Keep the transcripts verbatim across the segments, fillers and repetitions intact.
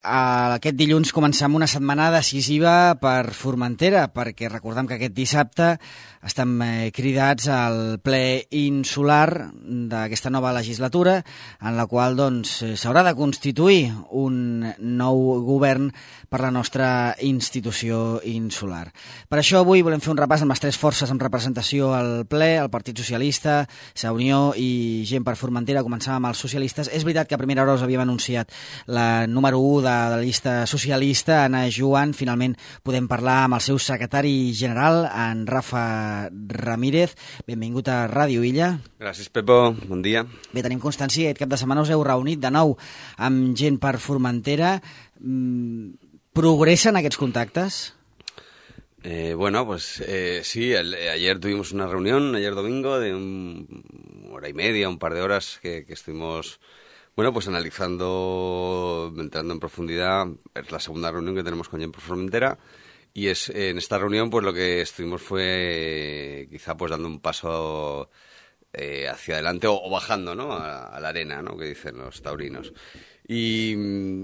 Aquest dilluns comencem una setmana decisiva per Formentera, perquè recordem que aquest dissabte estem cridats al ple insular d'aquesta nova legislatura, en la qual doncs, s'haurà de constituir un nou govern per la nostra institució insular. Per això avui volem fer un repàs amb les tres forces amb representació al ple, el Partit Socialista, Sa Unió i Gent per Formentera. Començàvem amb els socialistes. És veritat que a primera hora us havíem anunciat la número u de de la llista socialista, Anna Joan. Finalment podem parlar amb el seu secretari general, en Rafa Ramírez. Benvingut a Ràdio Illa. Gràcies, Pepo. Bon dia. Bé, tenim constància que aquest cap de setmana us heu reunit de nou amb Gent per Formentera. Progressen aquests contactes? Eh, bueno, pues eh, sí, el, ayer tuvimos una reunión, ayer domingo, de un, una hora y media, un par de horas que, que estuvimos... Bueno, pues analizando, entrando en profundidad, es la segunda reunión que tenemos con Gent per Formentera, y es en esta reunión pues lo que estuvimos fue quizá pues dando un paso eh, hacia adelante o, o bajando, ¿no?, a, a la arena, ¿no?, que dicen los taurinos. Y,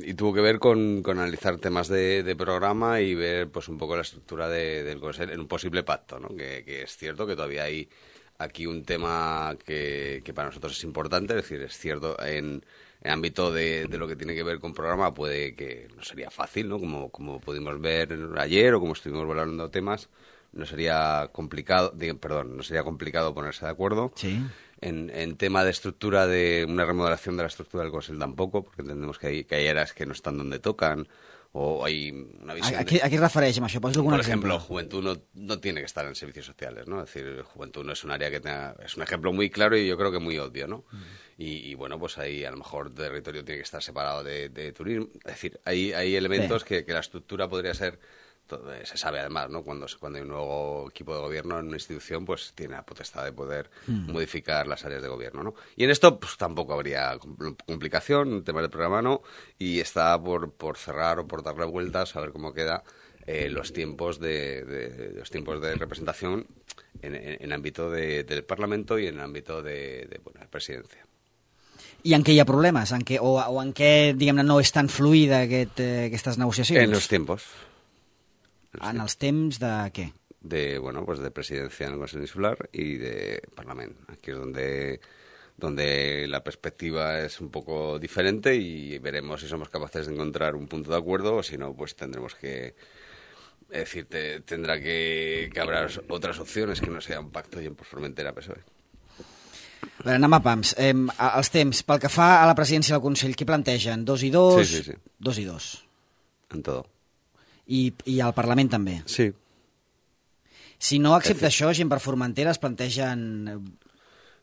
y tuvo que ver con, con analizar temas de, de programa y ver pues un poco la estructura de, del Consejo en un posible pacto, ¿no?, que, que es cierto que todavía hay aquí un tema que, que para nosotros es importante, es decir, es cierto, en el ámbito de, de lo que tiene que ver con programa puede que no sería fácil, ¿no?, como, como pudimos ver ayer o como estuvimos hablando temas, no sería complicado, digo, perdón, no sería complicado ponerse de acuerdo. Sí. En, en tema de estructura, de una remodelación de la estructura del Consejo tampoco, porque entendemos que hay, que hay áreas que no están donde tocan, o hay una visión... ¿A, de... ¿A qué refereix amb això? Pots algun Por exemple? ejemplo, Juventud no, no tiene que estar en servicios sociales, ¿no? Es decir, Juventud no es un área que tenga... Es un ejemplo muy claro y yo creo que muy obvio, ¿no? Mm. Y, y bueno, pues ahí a lo mejor territorio tiene que estar separado de, de turismo. Es decir, hay, hay elementos que, que la estructura podría ser... Se sabe además, ¿no? Cuando, cuando hay un nuevo equipo de gobierno en una institución, pues tiene la potestad de poder mm. modificar las áreas de gobierno, ¿no? Y en esto, pues tampoco habría complicación, el tema del programa no, y está por, por cerrar o por darle vueltas a ver cómo queda eh, los tiempos de, de, de los tiempos de representación en, en, en ámbito de, del Parlamento y en ámbito de, de bueno, la presidencia. I en què hi ha problemes? En què, o, o en què, diguem-ne, no és tan fluida aquest, eh, aquestes negociacions? En los tiempos. En els temps de què? De, bueno, pues de presidencia en el Consejo Insular y de Parlamento. Aquí es donde, donde la perspectiva es un poco diferente y veremos si somos capaces de encontrar un punto de acuerdo o si no, pues tendremos que... Es decir, te, tendrá que, que habrá otras opciones que no sea un pacto Gent per Formentera P S O E. A veure, anem a pams. Eh, els temps, pel que fa a la presidència del Consell, què plantegen? Dos i dos? Sí, sí, sí. Dos i dos. En todo. I, i al Parlament també? Sí. Si no accepta això, Gent per Formentera es plantegen...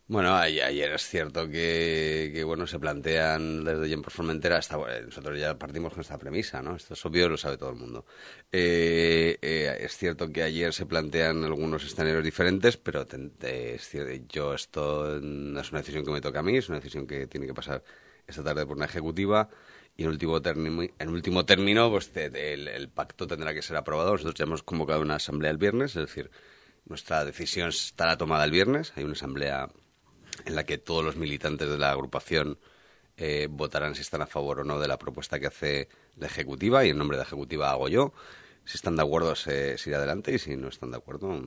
Bueno, ayer es cierto que, que bueno, se plantean desde Gent per Formentera, hasta, bueno, nosotros ya partimos con esta premisa, ¿no? Esto es obvio, lo sabe todo el mundo. Eh, eh, es cierto que ayer se plantean algunos escenarios diferentes, pero te, te, es cierto, yo esto no es una decisión que me toca a mí, es una decisión que tiene que pasar esta tarde por una ejecutiva. Y en último término, en último término pues te, te, el, el pacto tendrá que ser aprobado. Nosotros ya hemos convocado una asamblea el viernes, es decir, nuestra decisión estará tomada el viernes. Hay una asamblea en la que todos los militantes de la agrupación eh, votarán si están a favor o no de la propuesta que hace la ejecutiva, y en nombre de la ejecutiva hago yo. Si están de acuerdo se, se irá adelante, y si no están de acuerdo...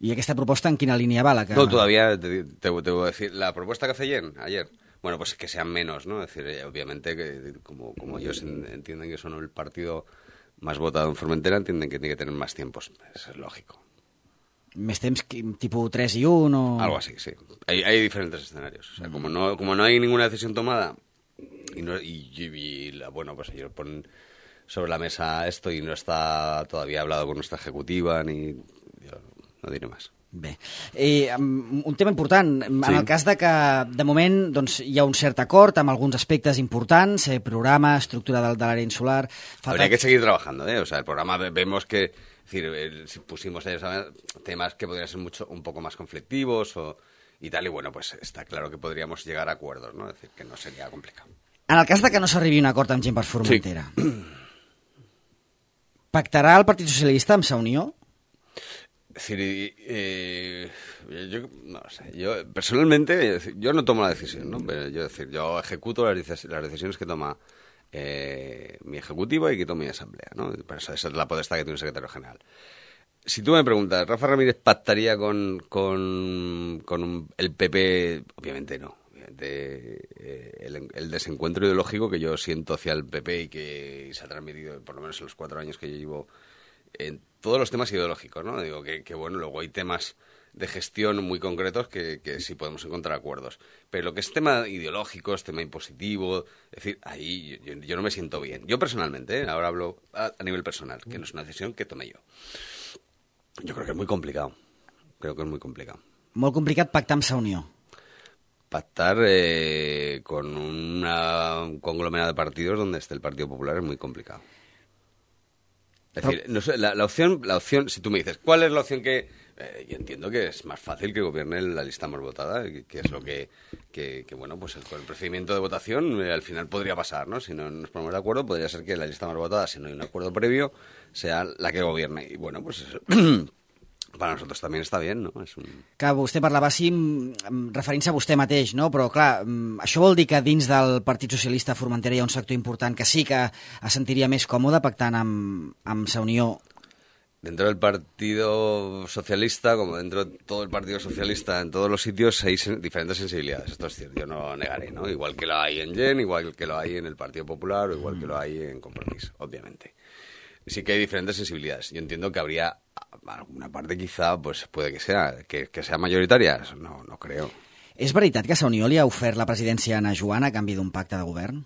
¿Y aquesta proposta en quina línia va? La que... No, todavía te, te, te voy a decir. La propuesta que hace Jen ayer... Bueno, pues que sean menos, ¿no? Es decir, obviamente, que como, como ellos entienden que son el partido más votado en Formentera, entienden que tiene que tener más tiempos. Eso es lógico. ¿Més temps tipo tres y uno? O... Algo así, sí. Hay, hay diferentes escenarios. O sea, como no, como no hay ninguna decisión tomada y, no, y, y, y la, bueno, pues ellos ponen sobre la mesa esto y no está todavía hablado con nuestra ejecutiva, ni... Yo no diré más. Bé, eh, un tema important, en sí. el cas de que de moment doncs, hi ha un cert acord amb alguns aspectes importants, eh, programa, estructura de, de l'àrea insular... Falta... Habría que seguir trabajando, ¿eh? O sea, el programa vemos que, es decir, el, si pusimos temas que podrían ser mucho, un poco más conflictivos o, y tal, y bueno, pues está claro que podríamos llegar a acuerdos, ¿no? Es decir, que no sería complicado. En el cas de que no s'arribi a un acord amb Gent per Formentera, sí. Pactarà el Partit Socialista amb Sa Unió? Es decir, eh, yo no sé, yo personalmente yo no tomo la decisión, ¿no? Pero yo decir, yo ejecuto las, las decisiones que toma eh, mi ejecutiva y quito mi asamblea, ¿no? Pero esa, esa es la potestad que tiene un secretario general. Si tú me preguntas, ¿Rafa Ramírez pactaría con, con, con un, el P P? Obviamente no. Obviamente, eh, el, el desencuentro ideológico que yo siento hacia el P P y que se ha transmitido, por lo menos en los cuatro años que yo llevo, en todos los temas ideológicos, ¿no? Digo que, que bueno, luego hay temas de gestión muy concretos que, que sí podemos encontrar acuerdos. Pero lo que es tema ideológico, es tema impositivo, es decir, ahí yo, yo no me siento bien. Yo personalmente, ¿eh? Ahora hablo a, a nivel personal, que no es una decisión que tomé yo. Yo creo que es muy complicado. Creo que es muy complicado. Molt complicat pactar amb Sa Unió. Pactar eh, con una, un conglomerado de partidos donde esté el Partido Popular es muy complicado. Es decir, no sé, la, la opción, la opción, si tú me dices, ¿cuál es la opción que...? Eh, yo entiendo que es más fácil que gobierne la lista más votada, que, que es lo que, que, que, bueno, pues el, con el procedimiento de votación eh, al final podría pasar, ¿no? Si no nos ponemos de acuerdo, podría ser que la lista más votada, si no hay un acuerdo previo, sea la que gobierne. Y bueno, pues eso, para nosotros también està bien, no? És un... Clar, vostè parlava així referint-se a vostè mateix, no? Però clar, això vol dir que dins del Partit Socialista a Formentera hi ha un sector important que sí que es sentiria més còmode pactant amb, amb Sa Unió. Dentro del Partido Socialista, como dentro de todo el Partido Socialista, en todos los sitios hay sen- diferentes sensibilidades. Esto es cierto, yo no lo negaré, ¿no? Igual que lo hay en Gen, igual que lo hay en el Partido Popular o igual que lo hay en Compromís, obviamente. Sí que hay diferentes sensibilidades. Yo entiendo que habría alguna parte quizá, pues puede que sea, que, que sea mayoritaria. No, no creo. És veritat que Sa Unió li ha ofert la presidència a Ana Joan a canvi d'un pacte de govern?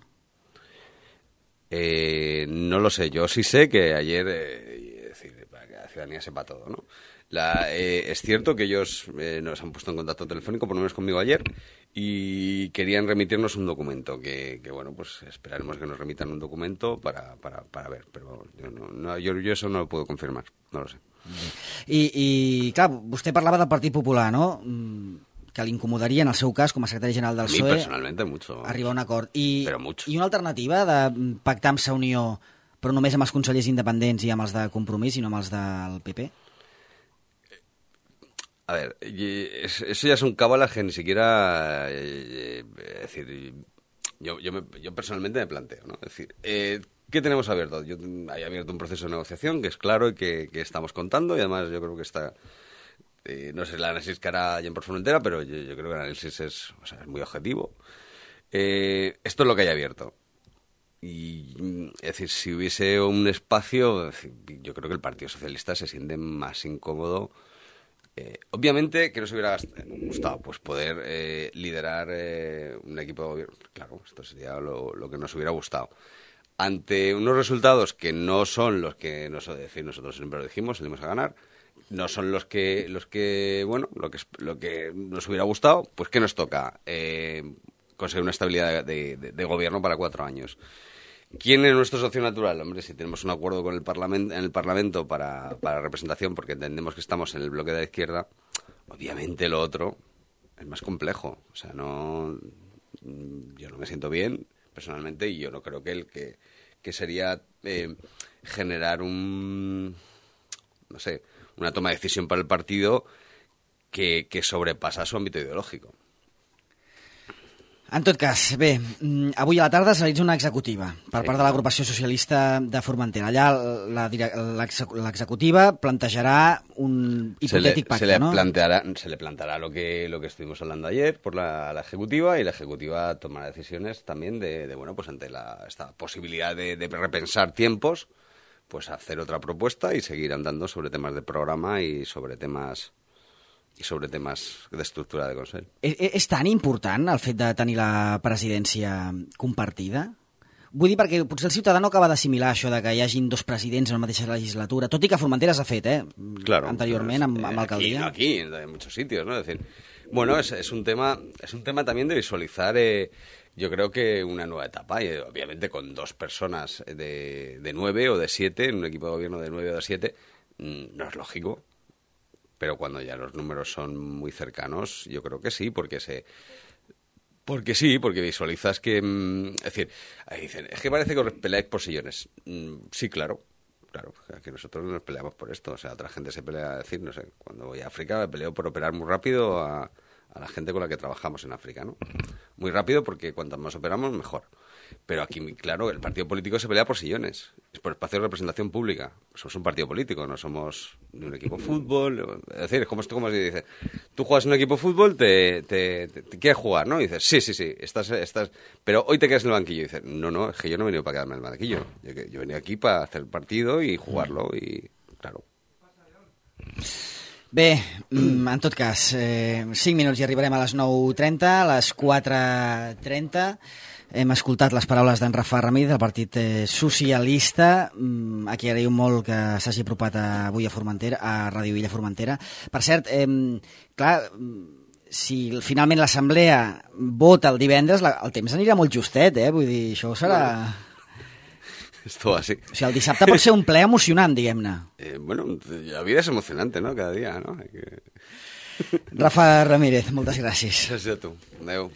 Eh, no lo sé. Yo sí sé que ayer... Eh, la ciudadanía sepa todo, ¿no? La, eh, es cierto que ellos eh, nos han puesto en contacto telefónico, por lo menos conmigo ayer, y querían remitirnos un documento, que, que bueno, pues esperaremos que nos remitan un documento para, para, para ver, pero yo, no, no, yo, yo eso no lo puedo confirmar, no lo sé. I, i clar, vostè parlava del Partit Popular, no? Que li incomodaria, en el seu cas, com a secretari general del A mí P S O E, personalmente mucho. arribar a un acord. I, Però mucho. I una alternativa de pactar amb Sa Unió però només amb els consellers independents i amb els de Compromís i no amb els del P P? A ver, eso ya es un cábala que ni siquiera... Eh, es decir, yo, yo, me, yo personalmente me planteo, ¿no? Es decir, eh, ¿qué tenemos abierto? Yo hay abierto un proceso de negociación que es claro y que, que estamos contando y además yo creo que está... Eh, no sé el análisis que hará Gen por Formentera, pero yo, yo creo que el análisis es, o sea, es muy objetivo. Eh, esto es lo que hay abierto. Y, es decir, si hubiese un espacio, yo creo que el Partido Socialista se siente más incómodo. Eh, obviamente que nos hubiera gustado pues poder eh, liderar eh, un equipo de gobierno. Claro, esto sería lo, lo que nos hubiera gustado. Ante unos resultados que no son los que nos, es decir, nosotros siempre lo dijimos, salimos a ganar, no son los que, los que bueno, lo que, lo que nos hubiera gustado, pues ¿qué nos toca? Eh, conseguir una estabilidad de, de, de gobierno para cuatro años. ¿Quién es nuestro socio natural? Hombre, si tenemos un acuerdo con el Parlamento, en el Parlamento para, para representación, porque entendemos que estamos en el bloque de la izquierda, obviamente lo otro es más complejo. O sea, no, yo no me siento bien personalmente y yo no creo que el que, que sería eh, generar un, no sé, una toma de decisión para el partido que, que sobrepasa su ámbito ideológico. En tot cas, bé, avui a la tarda es realitza una executiva per sí, part de l'agrupació socialista de Formentera. Allà l'executiva plantejarà un hipotètic pacte, se le ¿no? Planteará, se le planteará lo que, lo que estuvimos hablando ayer por la, la ejecutiva y la ejecutiva tomará decisiones también de, de bueno, pues ante la, esta posibilidad de, de repensar tiempos, pues hacer otra propuesta y seguir andando sobre temas de programa y sobre temas... i sobre temes d'estructura de Consell. És, és tan important el fet de tenir la presidència compartida? Vull dir, perquè potser el ciutadà no acaba d'assimilar això de que hi hagin dos presidents en la mateixa legislatura, tot i que Formentera s'ha fet, eh? Claro, anteriorment amb, amb alcaldia. Aquí, aquí, en muchos sitios, ¿no? Es decir, bueno, es, es un tema, es un tema también de visualizar, eh, yo creo que una nueva etapa, y obviamente con dos personas de, de nueve o de siete, en un equipo de gobierno de nueve o de siete, no es lógico. Pero cuando ya los números son muy cercanos, yo creo que sí, porque se... Porque sí, porque visualizas que... Es decir, ahí dicen, es que parece que os peleáis por sillones. Sí, claro, claro, que nosotros nos peleamos por esto. O sea, otra gente se pelea, decir, no sé, cuando voy a África me peleo por operar muy rápido a, a la gente con la que trabajamos en África, ¿no? Muy rápido porque cuanto más operamos, mejor. Pero aquí, claro, el partido político se pelea por sillones, es por espacio de representación pública. Somos un partido político, no somos ni un equipo de fútbol. Es decir, es como esto, como se dice, tú juegas en un equipo de fútbol, te, te, te, te quieres jugar, ¿no? Y dices, sí, sí, sí, estás, estás, pero hoy te quedas en el banquillo. Y dices, no, no, es que yo no he venido para quedarme en el banquillo. Yo, yo he venido aquí para hacer el partido y jugarlo, y claro. Bé, en tot cas, eh, cinc minuts i arribarem a les nou trenta, a les quatre trenta. Hem escoltat les paraules d'en Rafa Ramírez, del Partit Socialista, a qui agraïm molt que s'hagi apropat avui a Formentera, a Ràdio Illa Formentera. Per cert, eh, clar, si finalment l'Assemblea vota el divendres, la, el temps anirà molt justet, eh? Vull dir, això serà... Esto así. O sigui, el dissabte pot ser un ple emocionant, diguem-ne. Eh, bueno, la vida es emocionante, ¿no? Cada día, ¿no? Hay que... Rafa Ramírez, moltes gràcies. Gràcies a tu. Adéu.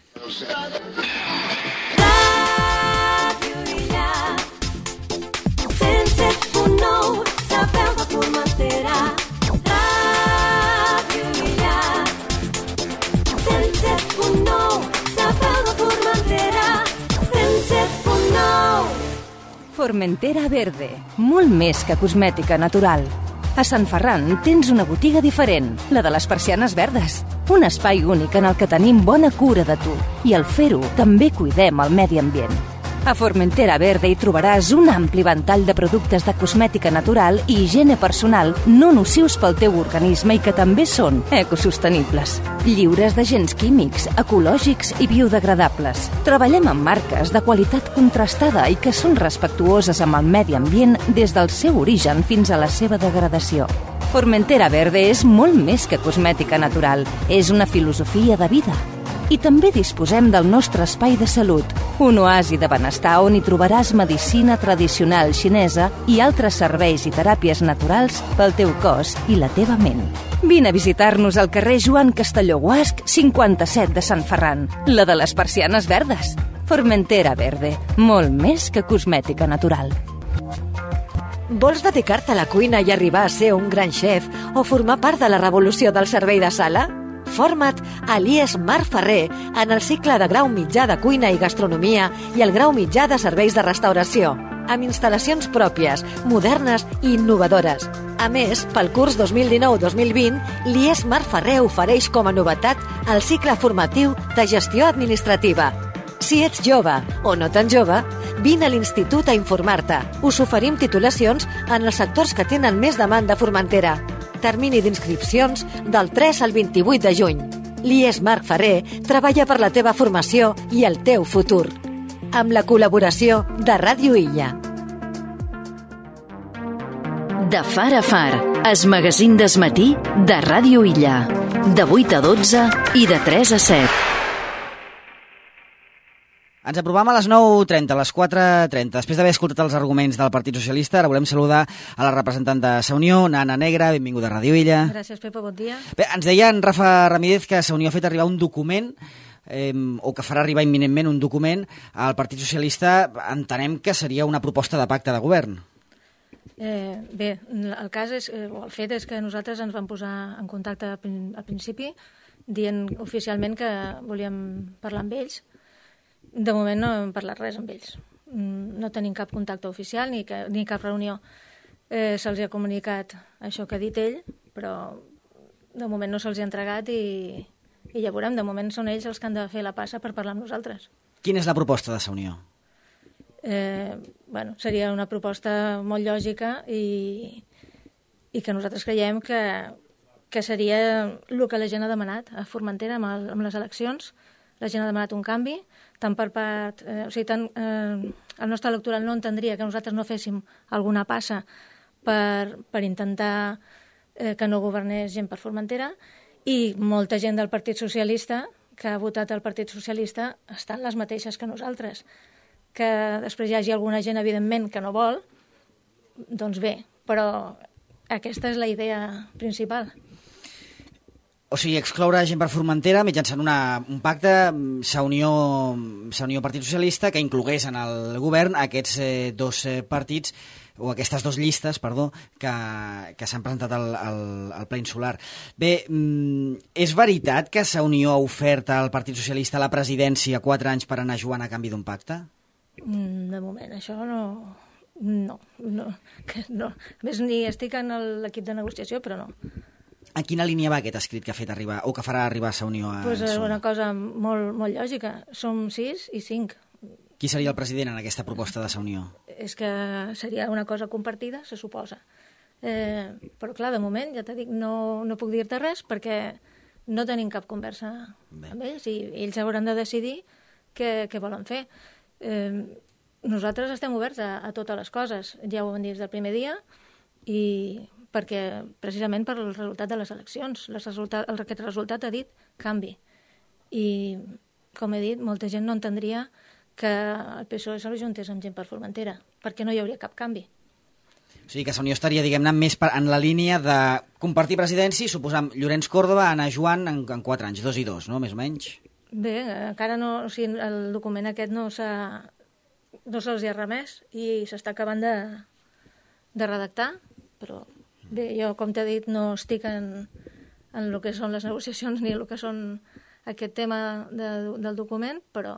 Formentera Verde, molt més que cosmètica natural. A Sant Ferran tens una botiga diferent, la de les persianes verdes. Un espai únic en el que tenim bona cura de tu i al fer-ho també cuidem el medi ambient. A Formentera Verde hi trobaràs un ampli ventall de productes de cosmètica natural i higiene personal no nocius pel teu organisme i que també són ecosostenibles. Lliures d'agents químics, ecològics i biodegradables. Treballem amb marques de qualitat contrastada i que són respectuoses amb el medi ambient des del seu origen fins a la seva degradació. Formentera Verde és molt més que cosmètica natural, és una filosofia de vida. I també disposem del nostre espai de salut, un oasi de benestar on hi trobaràs medicina tradicional xinesa i altres serveis i teràpies naturals pel teu cos i la teva ment. Vine a visitar-nos al carrer Joan Castelló Guasc, cinquanta-set de Sant Ferran, la de les persianes verdes. Formentera Verde, molt més que cosmètica natural. Vols dedicar-te a la cuina i arribar a ser un gran xef o formar part de la revolució del servei de sala? Forma't a l'I E S Marc Ferrer en el cicle de grau mitjà de cuina i gastronomia i el grau mitjà de serveis de restauració, amb instal·lacions pròpies, modernes i innovadores. A més, pel curs dos mil dinou dos mil vint, l'I E S Marc Ferrer ofereix com a novetat el cicle formatiu de gestió administrativa. Si ets jove o no tan jove, vine a l'institut a informar-te. Us oferim titulacions en els sectors que tenen més demanda a Formentera. Termini d'inscripcions del tres al vint-i-vuit de juny. L'I E S Marc Ferrer treballa per la teva formació i el teu futur. Amb la col·laboració de Ràdio Illa. De far a far, es magazín d'esmatí de Ràdio Illa. De vuit a dotze i de tres a set. Ens aprovem a les nou trenta, a les quatre trenta. Després d'haver escoltat els arguments del Partit Socialista, ara volem saludar a la representant de Sa Unió, Anna Negra, benvinguda a Ràdio Illa. Gràcies, Pepa, bon dia. Bé, ens deia en Rafa Ramírez que Sa Unió ha fet arribar un document, eh, o que farà arribar imminentment un document al Partit Socialista. Entenem que seria una proposta de pacte de govern. Eh, bé, el cas és, eh, o el fet és que nosaltres ens vam posar en contacte al principi dient oficialment que volíem parlar amb ells. De moment no hem parlat res amb ells. No tenim cap contacte oficial ni, que, ni cap reunió. Eh, se'ls ha comunicat això que ha dit ell, però de moment no se'ls ha entregat i, i ja veurem. De moment són ells els que han de fer la passa per parlar amb nosaltres. Quina és la proposta de Sa Unió? Eh, bueno, seria una proposta molt lògica i, i que nosaltres creiem que, que seria el que la gent ha demanat a Formentera amb, el, amb les eleccions. La gent ha demanat un canvi, tant per part... Eh, o sigui, tant, eh, el nostre electorat no entendria que nosaltres no féssim alguna passa per, per intentar eh, que no governés gent per Formentera, i molta gent del Partit Socialista que ha votat el Partit Socialista estan les mateixes que nosaltres. Que després hi hagi alguna gent, evidentment, que no vol, doncs bé, però aquesta és la idea principal. O sigui, excloure gent per Formentera mitjançant una, un pacte Sa Unió, Sa Unió Partit Socialista que inclogués en el govern aquests eh, dos eh, partits o aquestes dues llistes, perdó, que, que s'han presentat al, al, al ple insular. Bé, és veritat que Sa Unió ha ofert al Partit Socialista la presidència quatre anys per anar jugant a canvi d'un pacte? De moment, això no... No, no, que no. A més, ni estic en l'equip de negociació, però no. A quina línia va aquest escrit que ha fet arribar, o que farà arribar Sa Unió a pues és P S O E? una cosa molt, molt lògica. Som sis i cinc. Qui seria el president en aquesta proposta de Sa Unió? És que seria una cosa compartida, se suposa. Eh, però clar, de moment, ja t'he dit, no, no puc dir-te res perquè no tenim cap conversa Bé. amb ells i ells hauran de decidir què, què volen fer. Eh, Nosaltres estem oberts a, a totes les coses, ja ho vam dir des del primer dia, i perquè, precisament per el resultat de les eleccions. Les resultat, el, aquest resultat ha dit canvi. I, com he dit, molta gent no entendria que el P S O E se l'ajuntés amb gent per Formentera, perquè no hi hauria cap canvi. O sigui que Sa Unió estaria, diguem-ne, més per, en la línia de compartir presidència i suposar Llorenç Córdoba, Anna Joan, en, en quatre anys, dos i dos, no?, més o menys. Bé, encara no... O sigui, el document aquest no s'ha... no se'ls ha remès i s'està acabant de, de redactar, però bé, jo, com t'he dit, no estic en, en el que són les negociacions ni el que són aquest tema de, del document, però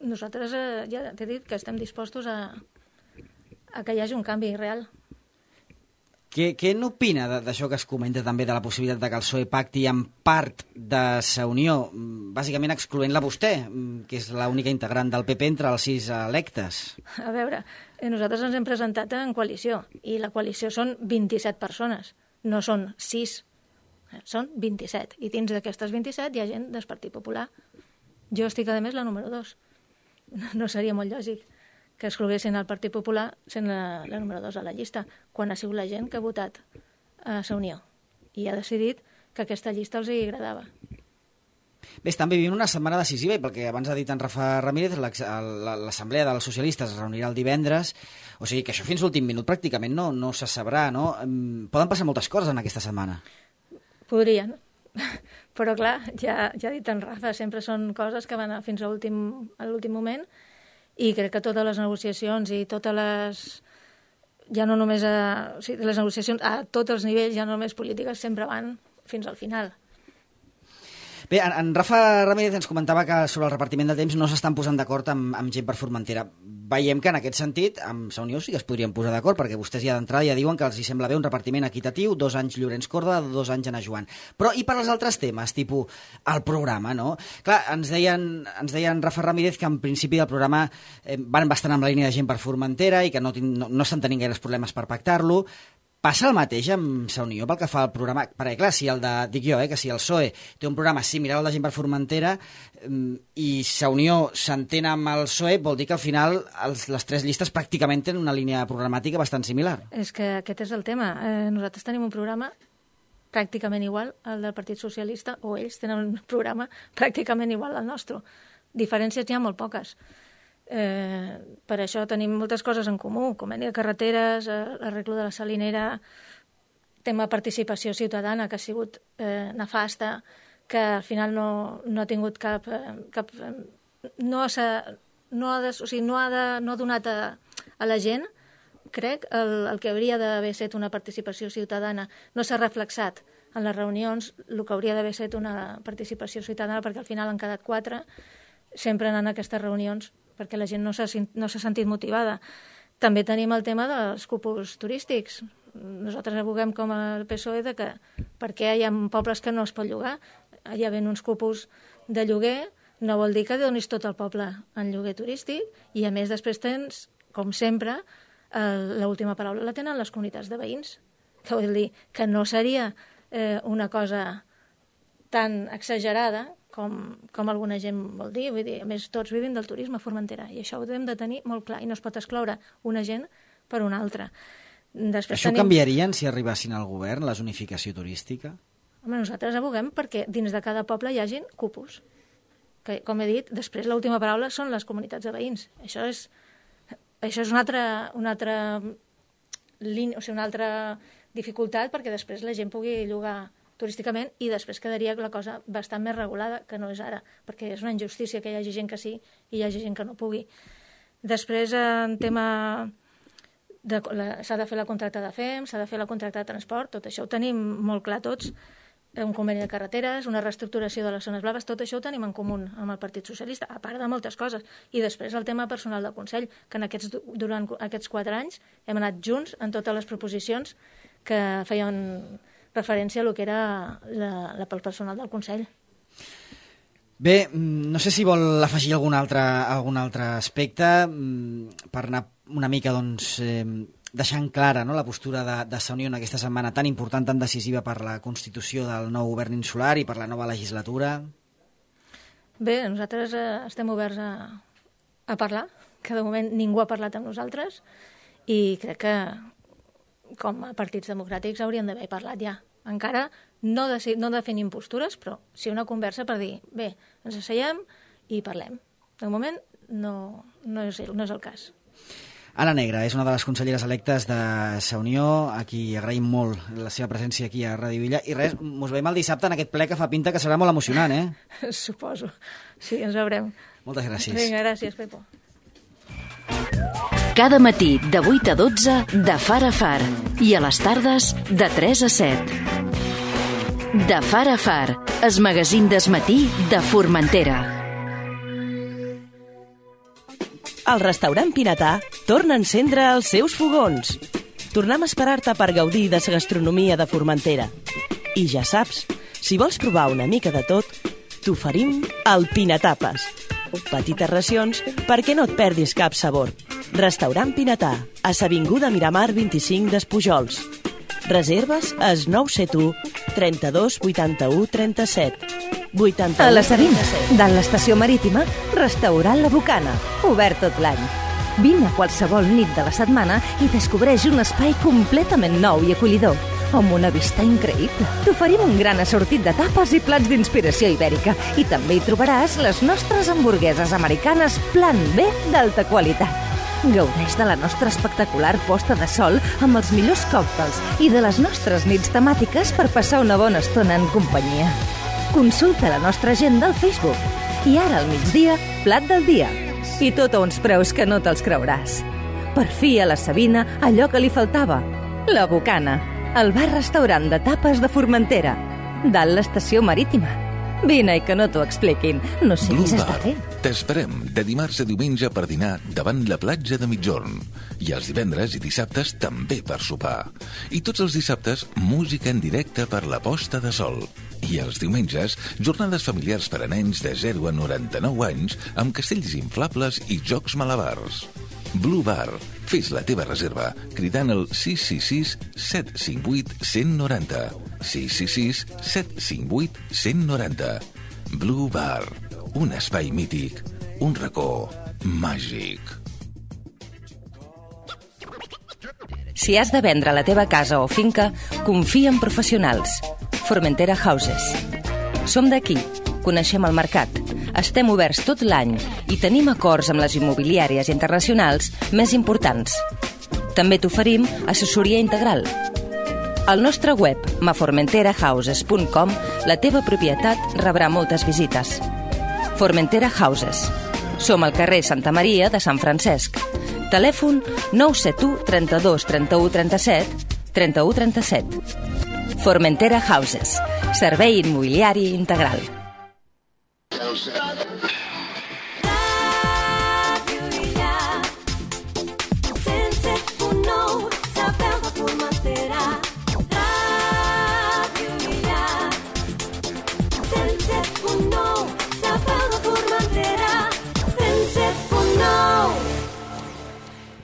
nosaltres eh, ja t'he dit que estem dispostos a, a que hi hagi un canvi real. Què, què n'opina d'això que es comenta també de la possibilitat de que el P S O E pacti amb part de Sa Unió, bàsicament excloent-la vostè, que és l'única integrant del P P entre els sis electes? A veure, nosaltres ens hem presentat en coalició i la coalició són vint-i-set persones, no són sis, són vint-i-set. I dins d'aquestes vint-i-set hi ha gent del Partit Popular. Jo estic, a més, la número dos. No seria molt lògic que excloguessin el Partit Popular sent la, la número dos a la llista, quan ha sigut la gent que ha votat a Sa Unió i ha decidit que aquesta llista els hi agradava. Bé, estan vivint una setmana decisiva i pel que abans ha dit en Rafa Ramírez, l'Assemblea dels Socialistes es reunirà el divendres, o sigui que això fins l'últim minut pràcticament no, no se sabrà, no? Poden passar moltes coses en aquesta setmana. Podrien, però clar, ja, ja ha dit en Rafa, sempre són coses que van fins a l'últim moment. I crec que totes les negociacions i totes les... ja no només a... o sigui, les negociacions a tots els nivells, ja no només polítiques, sempre van fins al final. Bé, en, en Rafa Ramírez ens comentava que sobre el repartiment de temps no s'estan posant d'acord amb, amb gent per Formentera. Veiem que en aquest sentit, amb Sa Unió sí que es podrien posar d'acord, perquè vostès ja d'entrada ja diuen que els hi sembla bé un repartiment equitatiu, dos anys Llorenç Córdoba, dos anys Anna Joan. Però i per als altres temes, tipus el programa, no? Clar, ens deien, ens deien Rafa Ramírez que en principi del programa eh, van bastant amb la línia de gent per Formentera i que no, no, no estan tenint gaires problemes per pactar-lo. Passa el mateix amb Sa Unió pel que fa al programa? Perquè, clar, si el de, dic jo, eh, que si el P S O E té un programa similar al de gent per Formentera i Sa Unió s'entén amb el P S O E, vol dir que al final els, les tres llistes pràcticament tenen una línia programàtica bastant similar. És que aquest és el tema. Eh, nosaltres tenim un programa pràcticament igual al del Partit Socialista, o ells tenen un programa pràcticament igual al nostre. Diferències hi ha molt poques. Eh, per això tenim moltes coses en comú, conveni de carreteres, eh, l'arreglo de la salinera, tema participació ciutadana, que ha sigut eh, nefasta, que al final no, no ha tingut cap... Eh, cap eh, no, ha, no, ha de, o sigui, no, ha de, no ha donat a, a la gent, crec, el, el que hauria d'haver estat una participació ciutadana. No s'ha reflexat en les reunions el que hauria d'haver estat una participació ciutadana, perquè al final han quedat quatre, sempre anant a aquestes reunions, perquè la gent no s'ha no s'ha sentit motivada. També tenim el tema dels cupos turístics. Nosaltres aboguem com a P S O E de que perquè hi ha pobles que no es pot llogar, hi ha uns cupos de lloguer, no vol dir que donis tot el poble en lloguer turístic, i a més després tens, com sempre, l'última paraula la tenen les comunitats de veïns, que vol dir que no seria eh, una cosa tan exagerada com, com alguna gent vol dir. Vull dir, a més, tots vivim del turisme a Formentera, i això ho hem de tenir molt clar, i no es pot excloure una gent per una altra. Després això tenim... canviarien si arribassin al govern, la zonificació turística? Home, nosaltres aboguem perquè dins de cada poble hi hagin cupos. Que, com he dit, després l'última paraula són les comunitats de veïns. Això és, això és una altra, una altra línia, o sigui, una altra dificultat perquè després la gent pugui llogar turísticament i després quedaria la cosa bastant més regulada que no és ara, perquè és una injustícia que hi hagi gent que sí i hi hagi gent que no pugui. Després, en tema... s'ha de fer la contracta de F E M, s'ha de fer la contracta de transport, tot això ho tenim molt clar tots, un conveni de carreteres, una reestructuració de les zones blaves, tot això ho tenim en comú amb el Partit Socialista, a part de moltes coses. I després el tema personal del Consell, que en aquests, durant aquests quatre anys hem anat junts en totes les proposicions que feien referència a lo que era la, la, el personal del Consell. Bé, no sé si vol afegir algun altre, algun altre aspecte per anar una mica, doncs, eh, deixant clara, no?, la postura de, de Sa Unió en aquesta setmana tan important, tan decisiva per la constitució del nou govern insular i per la nova legislatura. Bé, nosaltres eh, estem oberts a, a parlar, que de moment ningú ha parlat amb nosaltres i crec que com a partits democràtics hauríem d'haver parlat ja. Encara no, de, no definim postures, però sí una conversa per dir, bé, ens asseiem i parlem. De moment no, no, és, no és el cas. Anna Negre és una de les conselleres electes de Sa Unió, a qui agraïm molt la seva presència aquí a Ràdio Illa. I res, mos veiem el dissabte en aquest ple que fa pinta que serà molt emocionant, eh? Suposo. Sí, ens veurem. Moltes gràcies. Vinga, gràcies, Pepo. Cada matí de vuit a dotze de Far a Far i a les tardes de tres a set. De Far a Far, el magazín d'esmatí de Formentera. El restaurant Pinatà torna a encendre els seus fogons. Tornem a esperar-te per gaudir de la gastronomia de Formentera. I ja saps, si vols provar una mica de tot, t'oferim el Pinatapes. Petites racions perquè no et perdis cap sabor. Restaurant Pinatà, a s'avinguda Miramar vint-i-cinc d'Espujols. Reserves al nou set u, trenta-dos, vuitanta-u, trenta-set. A la Sabina, dalt l'estació marítima, restaurant La Bocana, obert tot l'any. Vine a qualsevol nit de la setmana i descobreix un espai completament nou i acollidor, amb una vista increïble. T'oferim un gran assortit de tapes i plats d'inspiració ibèrica i també hi trobaràs les nostres hamburgueses americanes Plan B d'alta qualitat. Gaudeix de la nostra espectacular posta de sol amb els millors còctels i de les nostres nits temàtiques per passar una bona estona en companyia. Consulta la nostra agenda al Facebook. I ara al migdia, plat del dia. I tot a uns preus que no te'ls creuràs. Per fi a la Sabina allò que li faltava. La Bocana, el bar-restaurant de tapes de Formentera, dalt l'estació marítima. Vine i que no t'ho expliquin. No sé què s'està fent. T'esperem de dimarts a diumenge per dinar davant la platja de Migjorn. I els divendres i dissabtes també per sopar. I tots els dissabtes, música en directe per la posta de sol. I els diumenges, jornades familiars per a nens de zero a noranta-nou anys amb castells inflables i jocs malabars. Blue Bar. Fes la teva reserva cridant el sis sis sis, set cinc vuit, cent noranta. sis sis sis, set cinc vuit, cent noranta. Blue Bar. Un espai mític. Un racó màgic. Si has de vendre la teva casa o finca, confia en professionals. Formentera Houses. Som d'aquí, coneixem el mercat, estem oberts tot l'any i tenim acords amb les immobiliàries internacionals més importants. També t'oferim assessoria integral. Al nostre web, ma formentera houses punt com, la teva propietat rebrà moltes visites. Formentera Houses. Som al carrer Santa Maria de Sant Francesc. Telèfon nou set u, trenta-dos, trenta-u, trenta-set, trenta-u, trenta-set. Formentera Houses. Servei immobiliari integral.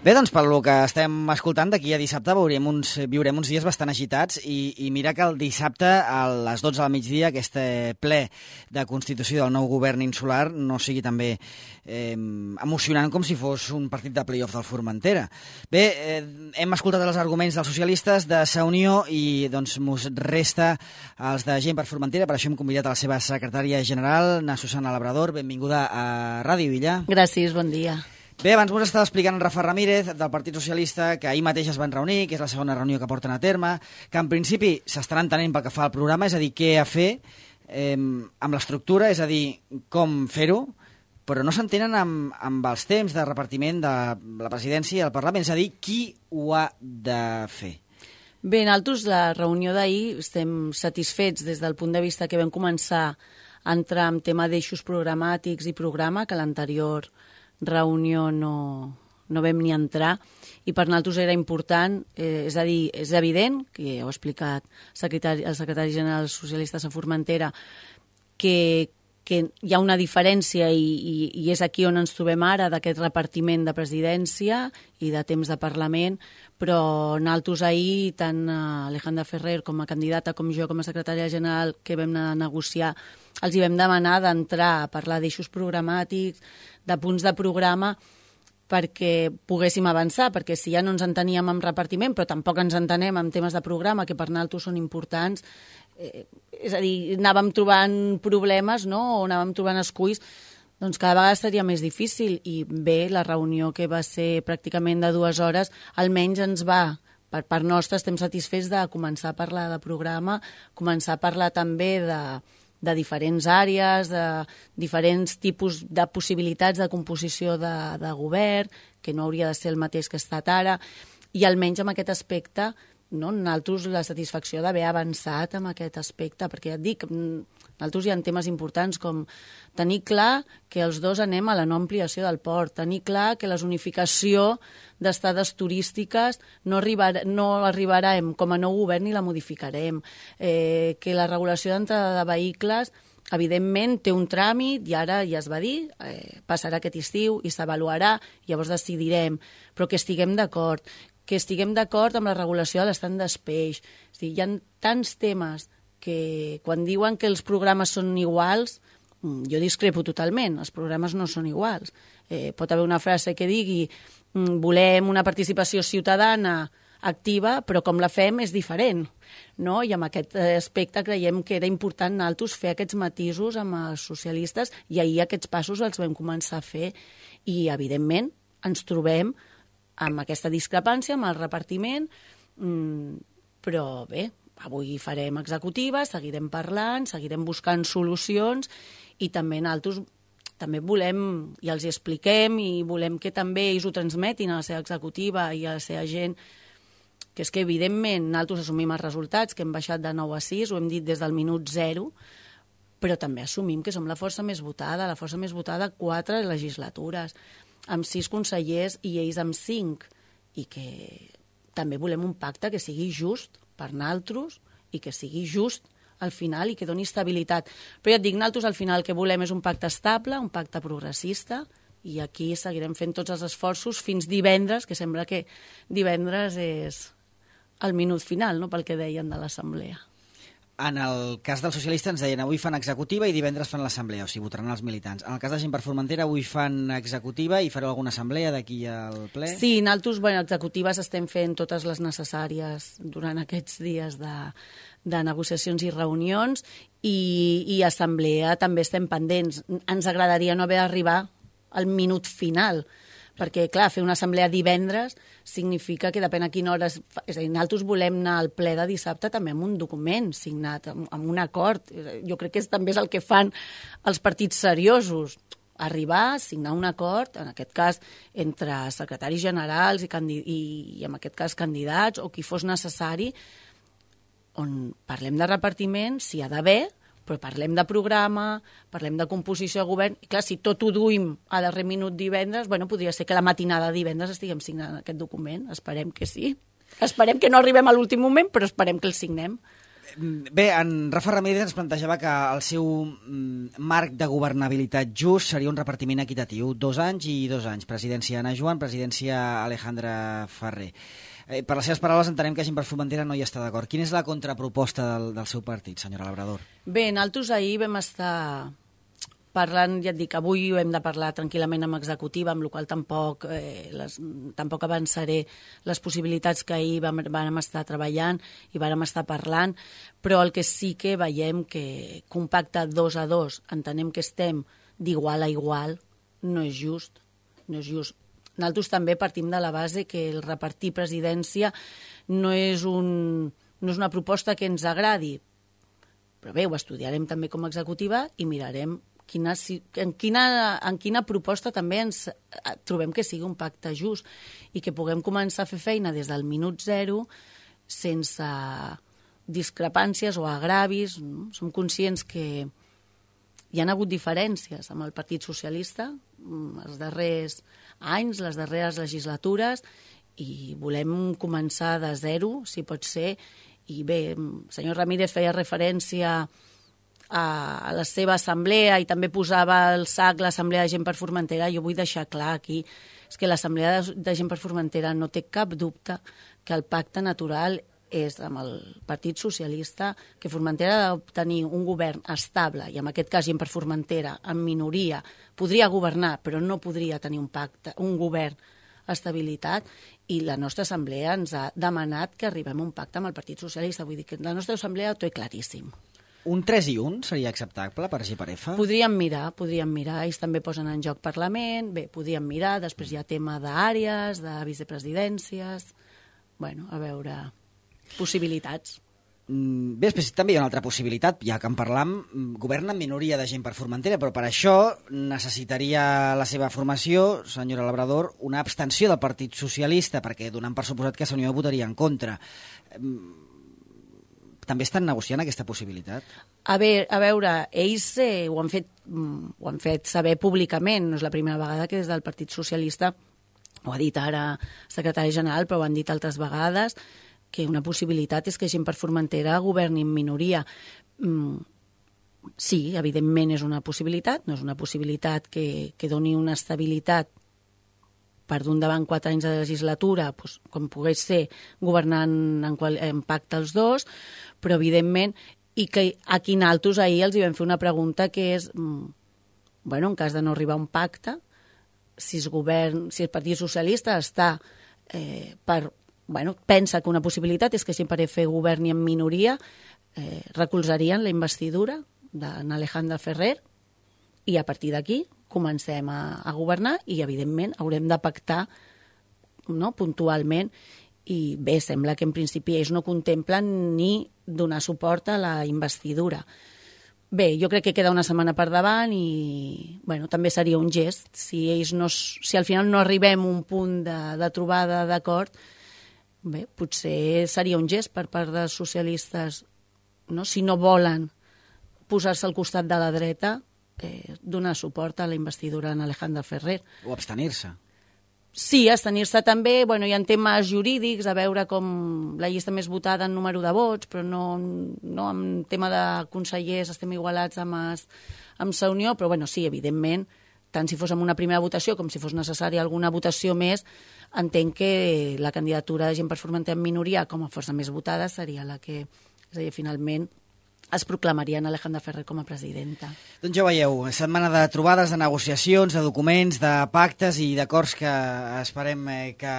Bé, doncs, pel que estem escoltant, d'aquí a dissabte veurem uns, viurem uns dies bastant agitats i, i mira que el dissabte a les dotze del migdia aquest ple de constitució del nou govern insular no sigui també eh, emocionant com si fos un partit de play-off del Formentera. Bé, eh, hem escoltat els arguments dels socialistes de Sa Unió i doncs mos resta els de Gent per Formentera, per això hem convidat a la seva secretària general, na Susana Labrador. Benvinguda a Ràdio Illa. Gràcies, bon dia. Bé, abans mos estava explicant en Rafa Ramírez, del Partit Socialista, que ahir mateix es van reunir, que és la segona reunió que porten a terme, que en principi s'estan entenent pel que fa al programa, és a dir, què a fer eh, amb l'estructura, és a dir, com fer-ho, però no s'entenen amb, amb els temps de repartiment de la presidència i el Parlament, és a dir, qui ho ha de fer. Bé, nosaltres la reunió d'ahir estem satisfets des del punt de vista que vam començar a entrar en tema d'eixos programàtics i programa, que l'anterior reunió no, no vam ni entrar, i per nosaltres era important, eh, és a dir, és evident, que ja ho ha explicat el secretari, el secretari general socialista de Formentera, que, que hi ha una diferència i, i, i és aquí on ens trobem ara d'aquest repartiment de presidència i de temps de Parlament, però nosaltres ahir, tant Alejandra Ferrer com a candidata com jo com a secretària general que vam anar a negociar, els hi vam demanar d'entrar a parlar d'eixos programàtics, de punts de programa, perquè poguéssim avançar, perquè si ja no ens enteníem amb repartiment, però tampoc ens entenem amb temes de programa, que per nosaltres són importants, eh, és a dir, anàvem trobant problemes, no?, o anàvem trobant esculls, doncs cada vegada seria més difícil. I bé, la reunió que va ser pràcticament de dues hores, almenys ens va, per part nostra, estem satisfets de començar a parlar de programa, començar a parlar també de... de diferents àrees, de diferents tipus de possibilitats de composició de, de govern, que no hauria de ser el mateix que ha estat ara, i almenys en aquest aspecte, no, nosaltres la satisfacció d'haver avançat en aquest aspecte, perquè ja et dic, nosaltres hi ha temes importants com tenir clar que els dos anem a la no ampliació del port, tenir clar que la zonificació d'estades turístiques no, arribar, no arribarem com a nou govern ni la modificarem, eh, que la regulació d'entrada de vehicles evidentment té un tràmit i ara ja es va dir, eh, passarà aquest estiu i s'avaluarà, llavors decidirem, però que estiguem d'acord, que estiguem d'acord amb la regulació de l'estat d'espeix. És a dir, hi ha tants temes que quan diuen que els programes són iguals, jo discrepo totalment, els programes no són iguals. Eh, pot haver una frase que digui volem una participació ciutadana activa, però com la fem és diferent, no? I en aquest aspecte creiem que era important nosaltres fer aquests matisos amb els socialistes i ahir aquests passos els vam començar a fer i, evidentment, ens trobem amb aquesta discrepància, amb el repartiment, però bé, avui farem executiva, seguirem parlant, seguirem buscant solucions i també nosaltres també volem, i els hi expliquem, i volem que també ells ho transmetin a la seva executiva i a la seva gent, que és que, evidentment, nosaltres assumim els resultats, que hem baixat de nou a sis, ho hem dit des del minut zero, però també assumim que som la força més votada, la força més votada quatre legislatures, amb sis consellers i ells amb cinc, i que també volem un pacte que sigui just per nosaltres i que sigui just al final i que doni estabilitat. Però ja et dic, nosaltres al final el que volem és un pacte estable, un pacte progressista, i aquí seguirem fent tots els esforços fins divendres, que sembla que divendres és el minut final, no?, pel que deien de l'assemblea. En el cas dels socialistes ens deien avui fan executiva i divendres fan l'assemblea, o sigui, votaran els militants. En el cas de Gent per Formentera avui fan executiva i fareu alguna assemblea d'aquí al ple? Sí, nosaltres, bueno, executives estem fent totes les necessàries durant aquests dies de, de negociacions i reunions i, i assemblea també estem pendents. Ens agradaria no haver d'arribar al minut final, perquè, clar, fer una assemblea divendres significa que depèn a quina hora... És a dir, nosaltres volem anar al ple de dissabte també amb un document signat, amb, amb un acord. Jo crec que és, també és el que fan els partits seriosos. Arribar, signar un acord, en aquest cas, entre secretaris generals i, i, i en aquest cas, candidats, o qui fos necessari, on parlem de repartiment, si ha d'haver, però parlem de programa, parlem de composició de govern, i clar, si tot ho duim a darrer minut divendres, bueno, podria ser que la matinada de divendres estiguem signant aquest document, esperem que sí. Esperem que no arribem a l'últim moment, però esperem que el signem. Bé, en Rafa Ramírez ens plantejava que el seu marc de governabilitat just seria un repartiment equitatiu, dos anys i dos anys, presidència Ana Joan, presidència Alejandra Ferrer. Eh, per les seves paraules entenem que Gent per Formentera no hi està d'acord. Quina és la contraproposta del, del seu partit, senyora Labrador? Bé, nosaltres ahir vam estar parlant, ja et dic, avui hem de parlar tranquil·lament amb executiva, amb la qual tampoc, eh, les, tampoc avançaré les possibilitats que ahir vam, vam estar treballant i vam estar parlant, però el que sí que veiem que un pacte dos a dos, entenem que estem d'igual a igual, no és just, no és just. Nosaltres també partim de la base que el repartir presidència no és, un, no és una proposta que ens agradi, però bé, ho estudiarem també com a executiva i mirarem quina, en, quina, en quina proposta també ens trobem que sigui un pacte just i que puguem començar a fer feina des del minut zero sense discrepàncies o agravis. No? Som conscients que hi ha hagut diferències amb el Partit Socialista els darrers anys, les darreres legislatures, i volem començar de zero, si pot ser. I bé, el senyor Ramírez feia referència a la seva assemblea i també posava al sac l'Assemblea de Gent per Formentera. Jo vull deixar clar aquí és que l'Assemblea de Gent per Formentera no té cap dubte que el pacte natural és amb el Partit Socialista, que Formentera ha d'obtenir un govern estable, i en aquest cas Gent per Formentera, en minoria, podria governar, però no podria tenir un pacte, un govern estabilitat, i la nostra assemblea ens ha demanat que arribem a un pacte amb el Partit Socialista. Vull dir que la nostra assemblea ho té claríssim. Un tres i un seria acceptable per G per F? Podríem mirar, podríem mirar. Ells també posen en joc Parlament, bé, podríem mirar, després hi ha tema d'àrees, de vicepresidències, bueno, a veure, possibilitats. Bé, després també hi ha una altra possibilitat, ja que en parlam, governa en minoria de Gent per Formentera, però per això necessitaria la seva formació, senyora Labrador, una abstenció del Partit Socialista, perquè donant per suposat que Unió votaria en contra. També estan negociant aquesta possibilitat? A, veure, a veure, ells eh, ho, han fet, ho han fet saber públicament, no és la primera vegada que des del Partit Socialista, ho ha dit ara el secretari general, però ho han dit altres vegades, que una possibilitat és que Gent per Formentera governi en minoria. Mm, sí, evidentment és una possibilitat, no és una possibilitat que, que doni una estabilitat per d'un davant quatre anys de legislatura, doncs, com pogués ser governant en, qual, en pacte els dos, però evidentment, i que aquí naltros ahir els hi vam fer una pregunta que és, bueno, en cas de no arribar a un pacte, si el govern, si el Partit Socialista està eh, per, bueno, pensa que una possibilitat és que Gent per F governi en minoria, eh, recolzarien la investidura d'en Alejandro Ferrer, i a partir d'aquí comencem a, a governar i, evidentment, haurem de pactar, no?, puntualment. I bé, sembla que en principi ells no contemplen ni donar suport a la investidura. Bé, jo crec que queda una setmana per davant i, bueno, també seria un gest. Si ells no, si al final no arribem a un punt de, de trobada d'acord, bé, potser seria un gest per part dels socialistes, no?, si no volen posar-se al costat de la dreta, Eh, donar suport a la investidura en Alejandro Ferrer. O abstenir-se. Sí, abstenir-se també. Bueno, hi ha temes jurídics, a veure com la llista més votada en número de vots, però no, no en tema de consellers estem igualats amb, es, amb Sa Unió, però bueno, sí, evidentment, tant si fos amb una primera votació com si fos necessària alguna votació més, entenc que la candidatura de Gent per Formentera en minoria com a força més votada seria la que, és a dir, finalment es proclamaria en Alejandra Ferrer com a presidenta. Doncs ja veieu, setmana de trobades, de negociacions, de documents, de pactes i d'acords que esperem que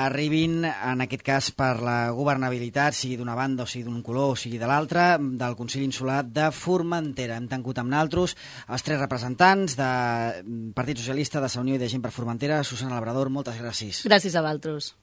arribin, en aquest cas, per la governabilitat, sigui d'una banda o sigui d'un color o sigui de l'altra, del Consell Insular de Formentera. Hem tancat amb naltros els tres representants de Partit Socialista, de Sa Unió i de Gent per Formentera. Susana Labrador, moltes gràcies. Gràcies a vosaltres.